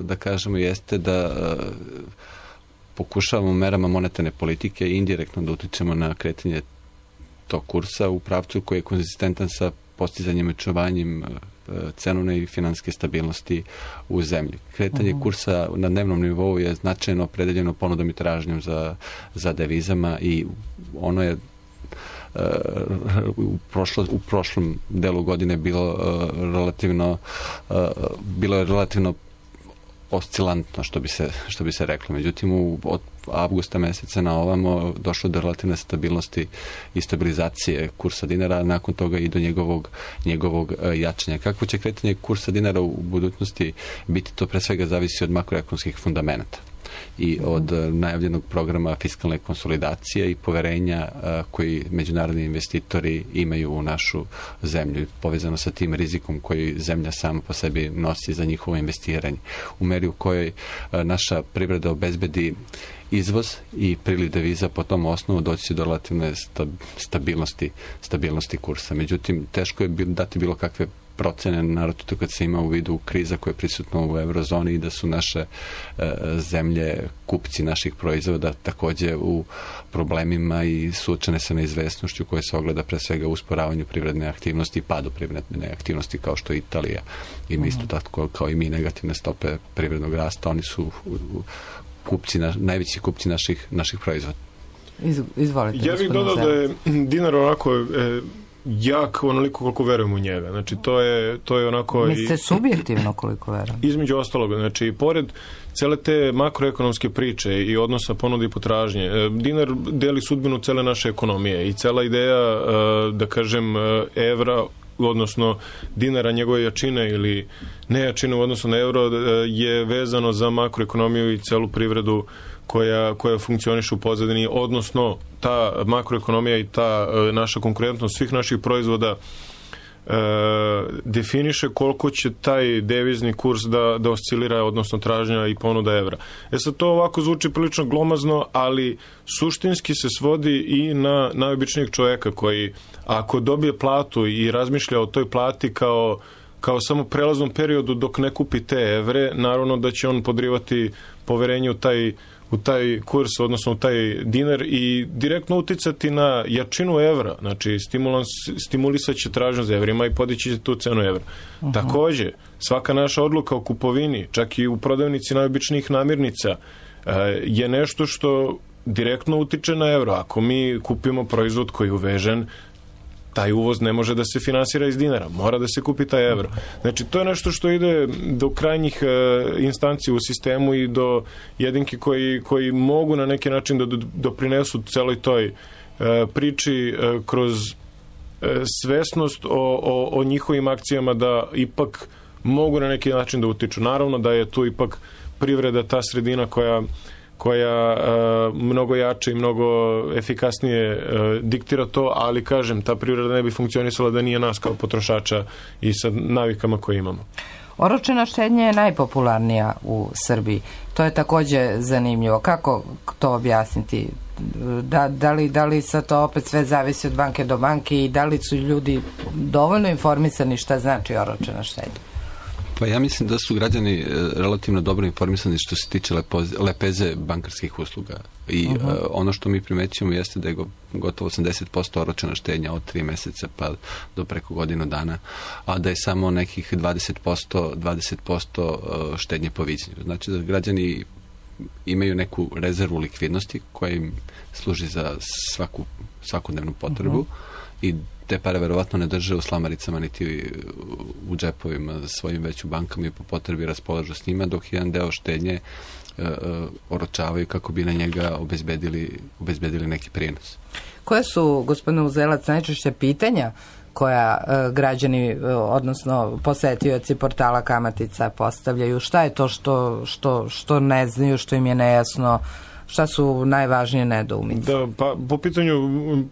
da kažemo jeste da pokušavamo merama monetarne politike i indirektno da utičemo na kretanje tog kursa u pravcu koji je konzistentan sa postizanjem i očuvanjem cenovne i finanske stabilnosti u zemlji. Kretanje uh-huh. kursa na dnevnom nivou je značajno opredeljeno ponudom i tražnjom za, za devizama i ono je uh, u, prošlo, u prošlom delu godine bilo uh, relativno uh, bilo je relativno oscilantno, što bi se, što bi se reklo. Međutim, u, od avgusta meseca na ovamo došlo do relativne stabilnosti i stabilizacije kursa dinara, nakon toga i do njegovog, njegovog jačanja. Kako će kretanje kursa dinara u budućnosti biti, to pre svega zavisi od makroekonomskih fundamenata i od najavljenog programa fiskalne konsolidacije i poverenja koji međunarodni investitori imaju u našu zemlju, povezano sa tim rizikom koji zemlja sama po sebi nosi za njihovo investiranje. U meri u kojoj naša privreda obezbedi izvoz i priliv deviza po tom osnovu doći će do relativne stabilnosti, stabilnosti kursa. Međutim, teško je dati bilo kakve procene, naročito kad se ima u vidu kriza koja je prisutna u eurozoni i da su naše e, zemlje, kupci naših proizvoda takođe u problemima i suočene sa neizvesnošću koja se ogleda pre svega u usporavanju privredne aktivnosti i padu privredne aktivnosti kao što je Italija ima isto tako kao i mi negativne stope privrednog rasta. Oni su u, u, kupci, na, najveći kupci naših, naših proizvoda. Iz, izvolite. Ja bih dodao da je dinar onako e, jak onoliko koliko verujem u njega. Znači, to je, to je onako... Mislite subjektivno koliko verujem? Između ostalog. Znači, pored cele te makroekonomske priče i odnosa ponude i potražnje, dinar deli sudbinu cele naše ekonomije i cela ideja, da kažem, evra, odnosno dinara, njegove jačine ili nejačine u odnosu na euro je vezano za makroekonomiju i celu privredu koja, koja funkcioniše u pozadini, odnosno ta makroekonomija i ta e, naša konkurentnost svih naših proizvoda e, definiše koliko će taj devizni kurs da, da oscilira, odnosno tražnja i ponuda evra. E sad, to ovako zvuči prilično glomazno, ali suštinski se svodi i na najobičnijeg čoveka koji, ako dobije platu i razmišlja o toj plati kao kao samo prelaznom periodu dok ne kupi te evre, naravno da će on podrivati poverenje u taj u taj kurs, odnosno u taj dinar i direktno uticati na jačinu evra, znači stimulans, stimulisat će tražnju za evrima i podići će tu cenu evra. Uh-huh. Takođe, svaka naša odluka o kupovini, čak i u prodavnici najobičnijih namirnica, je nešto što direktno utiče na evro. Ako mi kupimo proizvod koji je uvežen, taj uvoz ne može da se finansira iz dinara, mora da se kupi taj evro. Znači, to je nešto što ide do krajnjih e, instanci u sistemu i do jedinki koji, koji mogu na neki način da doprinesu celoj toj e, priči e, kroz e, svesnost o, o, o njihovim akcijama da ipak mogu na neki način da utiču. Naravno da je tu ipak privreda ta sredina koja koja uh, mnogo jače i mnogo efikasnije uh, diktira to, ali kažem, ta privreda ne bi funkcionisala da nije nas kao potrošača i sa navikama koje imamo. Oročena štednja je najpopularnija u Srbiji. To je takođe zanimljivo. Kako to objasniti? Da, da, li, da li sad to opet sve zavisi od banke do banke i da li su ljudi dovoljno informisani šta znači oročena štednja? Pa ja mislim da su građani relativno dobro informisani što se tiče lepoze, lepeze bankarskih usluga. I uh-huh. uh, ono što mi primećujemo jeste da je gotovo osamdeset posto oročena štednja od tri meseca pa do preko godinu dana, a da je samo nekih dvadeset posto, dvadeset posto štednje po viđenju. Znači da građani imaju neku rezervu likvidnosti koja im služi za svaku svakodnevnu potrebu uh-huh. i te pare verovatno ne drže u slamaricama niti u džepovima svojim, već u bankama i po potrebi raspolažu s njima, dok jedan deo štednje uh, oročavaju kako bi na njega obezbedili, obezbedili neki prijenos. Koje su, gospodine Uzelac, najčešće pitanja koja uh, građani, uh, odnosno posetioci portala Kamatica postavljaju? Šta je to što, što, što ne znaju, što im je nejasno? Šta su najvažnije nedoumice? Da, pa po pitanju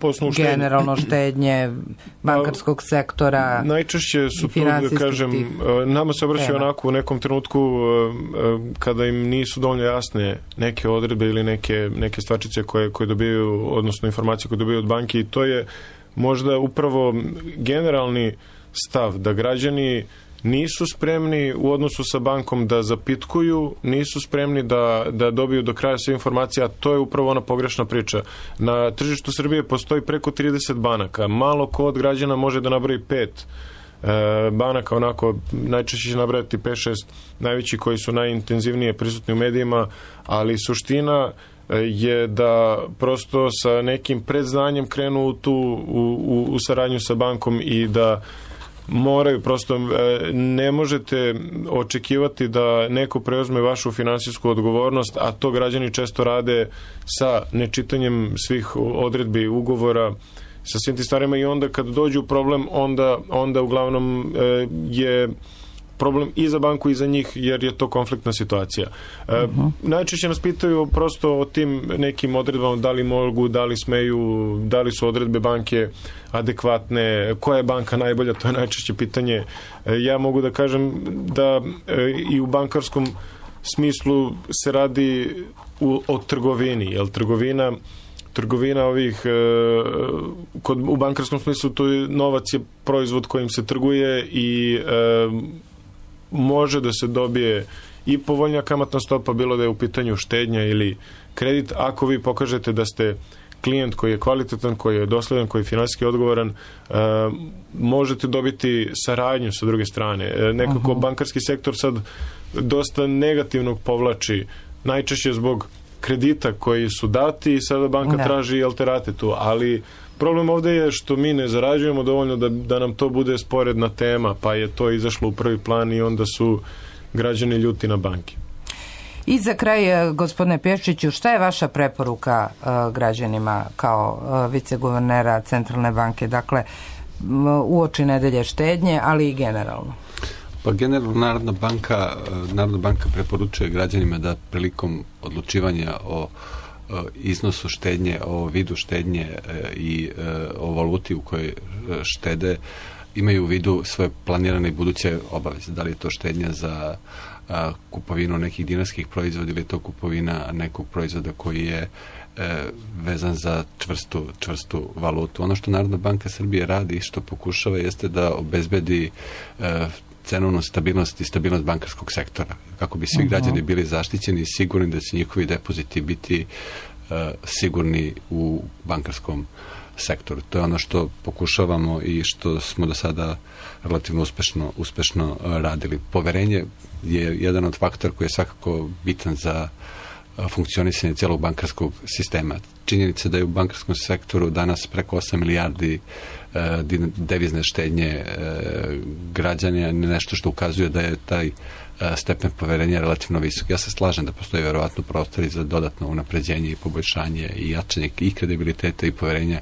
poslovnog štednje. Generalno štednje, bankarskog sektora. Najčešće su tu, da kažem, tih, nama se obraćaju onako u nekom trenutku kada im nisu dovoljno jasne neke odredbe ili neke, neke stvačice koje, koje dobijaju, odnosno informacije koje dobijaju od banke, i to je možda upravo generalni stav da građani nisu spremni u odnosu sa bankom da zapitkuju, nisu spremni da, da dobiju do kraja sve informacije, a to je upravo ona pogrešna priča. Na tržištu Srbije postoji preko trideset banaka. Malo ko od građana može da nabroji pet e, banaka, onako najčešće će nabrajati pet šest najveći koji su najintenzivnije prisutni u medijima, ali suština je da prosto sa nekim predznanjem krenu u tu u, u, u saradnju sa bankom i da moraju, prosto ne možete očekivati da neko preuzme vašu finansijsku odgovornost, a to građani često rade sa nečitanjem svih odredbi ugovora, sa svim tim stvarima, i onda kad dođu problem, onda, onda uglavnom je problem i za banku i za njih, jer je to konfliktna situacija. Uh-huh. Najčešće nas pitaju prosto o tim nekim odredbama, da li mogu, da li smeju, da li su odredbe banke adekvatne, koja je banka najbolja, to je najčešće pitanje. Ja mogu da kažem da i u bankarskom smislu se radi u, o trgovini, jer trgovina trgovina ovih kod, u bankarskom smislu to je, novac je proizvod kojim se trguje i e, može da se dobije i povoljnija kamatna stopa, bilo da je u pitanju štednja ili kredit, ako vi pokažete da ste klijent koji je kvalitetan, koji je dosledan, koji je finansijski odgovoran, e, možete dobiti saradnju sa druge strane. E, nekako uh-huh. bankarski sektor sad dosta negativnog povlači, najčešće zbog kredita koji su dati i sada banka ne. traži alterate tu, ali problem ovdje je što mi ne zarađujemo dovoljno da, da nam to bude sporedna tema, pa je to izašlo u prvi plan i onda su građani ljuti na banki. I za kraj, gospodine Pješiću, šta je vaša preporuka uh, građanima kao uh, viceguvernera Centralne banke, dakle uoči nedelje štednje, ali i generalno? Pa generalno Narodna banka, Narodna banka preporučuje građanima da prilikom odlučivanja o iznosu štednje, o vidu štednje i o valuti u kojoj štede imaju u vidu svoje planirane i buduće obaveze. Da li je to štednja za kupovinu nekih dinarskih proizvoda ili je to kupovina nekog proizvoda koji je vezan za čvrstu, čvrstu valutu. Ono što Narodna banka Srbije radi i što pokušava jeste da obezbedi cenovnu stabilnost i stabilnost bankarskog sektora, kako bi svi uh-huh. građani bili zaštićeni i sigurni da će njihovi depoziti biti uh, sigurni u bankarskom sektoru. To je ono što pokušavamo i što smo do sada relativno uspešno, uspešno uh, radili. Poverenje je jedan od faktora koji je svakako bitan za uh, funkcionisanje cijelog bankarskog sistema. Činjenica da je u bankarskom sektoru danas preko osam milijardi devizne štednje građana, nešto što ukazuje da je taj stepen poverenja relativno visok. Ja se slažem da postoji verovatno prostori za dodatno unapređenje i poboljšanje i jačanje i kredibiliteta i poverenja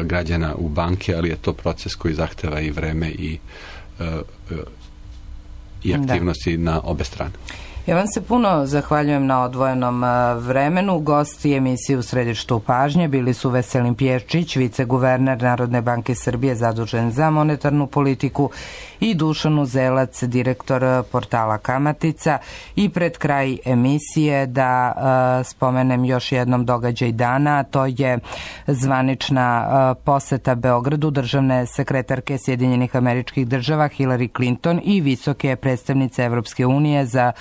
građana u banke, ali je to proces koji zahteva i vreme i, i aktivnosti da. na obe strane. Ja vam se puno zahvaljujem na odvojenom vremenu. Gosti emisije U središtu pažnje bili su Veselin Pješčić, viceguverner Narodne banke Srbije zadužen za monetarnu politiku, i Dušan Uzelac, direktor portala Kamatica. I pred kraj emisije da uh, spomenem još jednom događaj dana, to je zvanična uh, poseta Beogradu državne sekretarke Sjedinjenih Američkih Država Hillary Clinton i visoke predstavnice Evropske unije za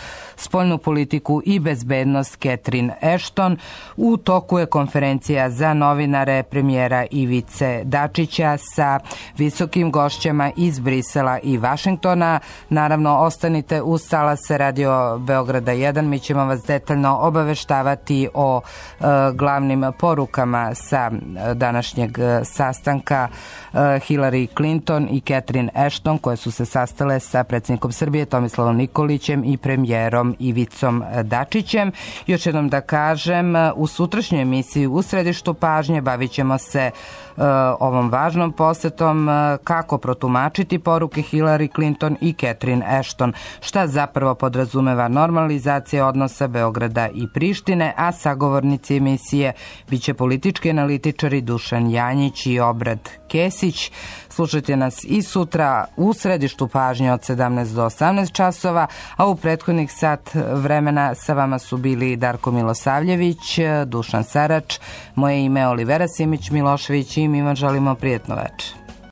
spoljnu politiku i bezbednost Catherine Ashton. U toku je konferencija za novinare premijera Ivice Dačića sa visokim gošćama iz Brisela i Vašingtona. Naravno, ostanite uz talas Radio Beograda jedan, mi ćemo vas detaljno obaveštavati o e, glavnim porukama sa današnjeg sastanka e, Hillary Clinton i Catherine Ashton, koje su se sastale sa predsjednikom Srbije Tomislavom Nikolićem i premijerom Ivicom Dačićem. Još jednom da kažem, u sutrašnjoj emisiji U središtu pažnje bavit ćemo se uh, ovom važnom posetom, uh, kako protumačiti poruke Hillary Clinton i Catherine Ashton, šta zapravo podrazumeva normalizacija odnosa Beograda i Prištine, a sagovornici emisije biće politički analitičari Dušan Janjić i Obrad Kesić. Slušajte nas i sutra u središtu pažnje od sedamnaest do osamnaest časova, a u prethodnih sat vremena sa vama su bili Darko Milosavljević, Dušan Sarač, moje ime je Olivera Simić Milošević i mi vam želimo prijetno večer.